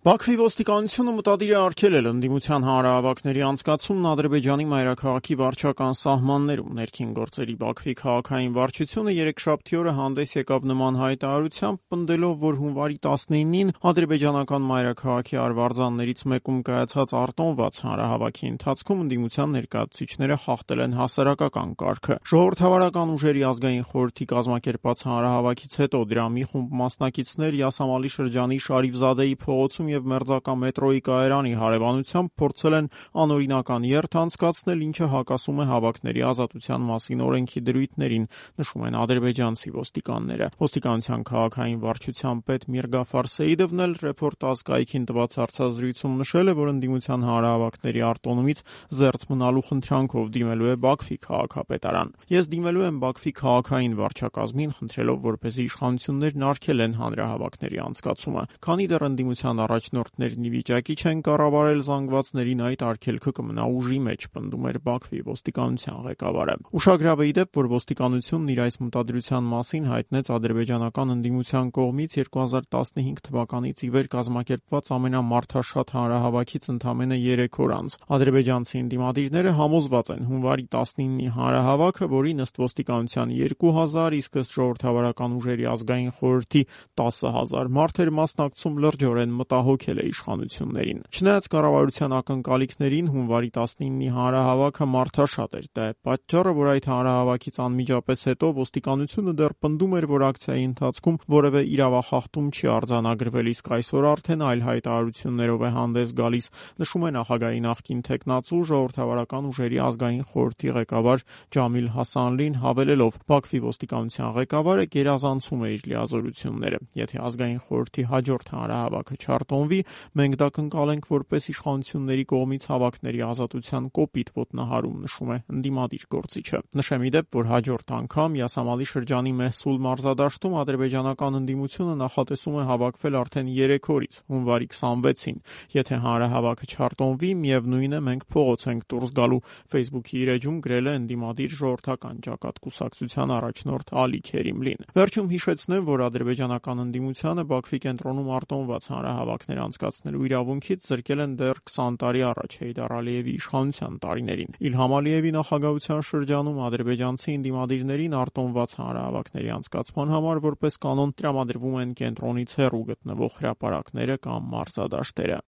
Բաքվի ոստիկանությունը մտադիր է արգելել ընդդիմության հանրահավաքների անցկացումն Ադրբեջանի մայրաքաղաքի վարչական սահմաններում։ Ներքին գործերի Բաքվի քաղաքային վարչությունը երեքշաբթի օրը հանդես եկավ նման հայտարարությամբ, պնդելով, որ հունվարի 19-ին ադրբեջանական մայրաքաղաքի արվարձաններից մեկում կայացած արտոնված հանրահավաքի ընթացքում ընդդիմության ներկայացուցիչները խախտել են հասարակական կարգը։ Ժողովրդավարական ուժերի ազգային խորհրդի կազմակերպած հանրահավաքից հետո դրա մի խումբ մասնակիցներ Յասամալի շրջանի Շարիֆզադեի փողոցում և Մերձակա մետրոյի կայարանի հարևանությամբ փորձել են անօրինական երթ անցկացնել, ինչը հակասում է հավաքների ազատության մասին օրենքի դրույթներին, նշում են ադրբեջանցի ոստիկանները։ Ոստիկանության քաղաքային վարչության պետ Միրգաֆար Սեիդովն էլ Ռեպորտաժ կայքին տված հարցազրույցում նշել է, որ ընդդիմության հանրահավաքների արտոնումից զերծ մնալու խնդրանքով դիմելու է Բաքվի քաղաքապետարան։ Ես դիմելու եմ Բաքվի քաղաքային վարչակազմին, խնդրելով, որպեսզի իշխանություններն արգելեն հանրահավաքների անցկացումը, քանի դեռ ընդդիմության առաջնորդներն ի վիճակի չեն կառավարել զանգվածներին, այդ արգելքը կմնա ուժի մեջ, պնդում էր Բաքվի ոստիկանության ղեկավարը։ Ուշագրավ է ի դեպ, որ ոստիկանությունն իր այս մտադրության մասին հայտնեց ադրբեջանական ընդդիմության կողմից 2015 թվականից ի վեր կազմակերպված ամենամարդաշատ հանրահավաքից ընդամենը 3 օր անց։ Ադրբեջանցի ընդդիմադիրները համոզված են հունվարի 19-ի հանրահավաքը, որի ըստ ոստիկանության 2000, իսկ ըստ ժողովրդավարական ուժերի ազգային խորհրդի 10,000 մարդ էր մասնակցում, լրջորեն մտահոգել է իշխանություններին։ Չնայած կառավարության ակնկալիքներին, հունվարի 19-ի հանրահավաքը մարդաշատ էր։ Դա է պատճառը, որ այդ հանրահավաքից անմիջապես հետո ոստիկանությունը դեռ պնդում էր, որ ակցիայի ընթացքում որևէ իրավախախտում չի արձանագրվել, իսկ այսօր արդեն այլ հայտարարություններով է հանդես գալիս, նշում է նախագահի նախկին թեկնածու ժողովրդավարական ուժերի ազգային խորհրդի ղեկավար Ջամիլ Հասանլին, հավելելով. Բաքվի ոստիկանության ղեկավարը գերազանցում է իր լիազորությունները։ Եթե ազգային խորհրդի հաջորդ հանրահավաքը չարտոնվի, մենք դա կընկալենք որպես իշխանությունների կողմից հավաքների ազատության կոպիտ ոտնահարում, նշում է ընդդիմադիր գործիչը։ Նշեմ ի դեպ, որ հաջորդ անգամ Յասամալի շրջանի Մեհսուլ մարզադաշտում ադրբեջանական ընդդիմությունը նախատեսում է հավաքվել արդեն 3 օրից, հունվարի 26-ին։ Եթե հանրահավաքը չարտոնվի, միևնույն է, մենք փողոց ենք դուրս գալու, Facebook-ի իր էջում գրել է ընդդիմադիր ժողովրդական ճակատ կուսակցության առաջնորդ Ալի Քերիմլին։ Վերջում հիշեցնեմ, որ ադրբեջանական ընդդիմությանը Բաքվի կենտրոնում արտոնված հանրահավաքներ անցկացնելու իրավունքից զրկել են դեռ 20 տարի առաջ Հեյդար Ալիևի իշխանության տարիներին։ Իլհամ Ալիևի նախագահության շրջանում ադրբեջանցի ընդդիմադիրներին արտոնված հանրահավաքների անցկացման համար որպես կանոն տրամադրվում են կենտրոնից հեռու գտնվող հրապարակները կամ մարզադաշտերը։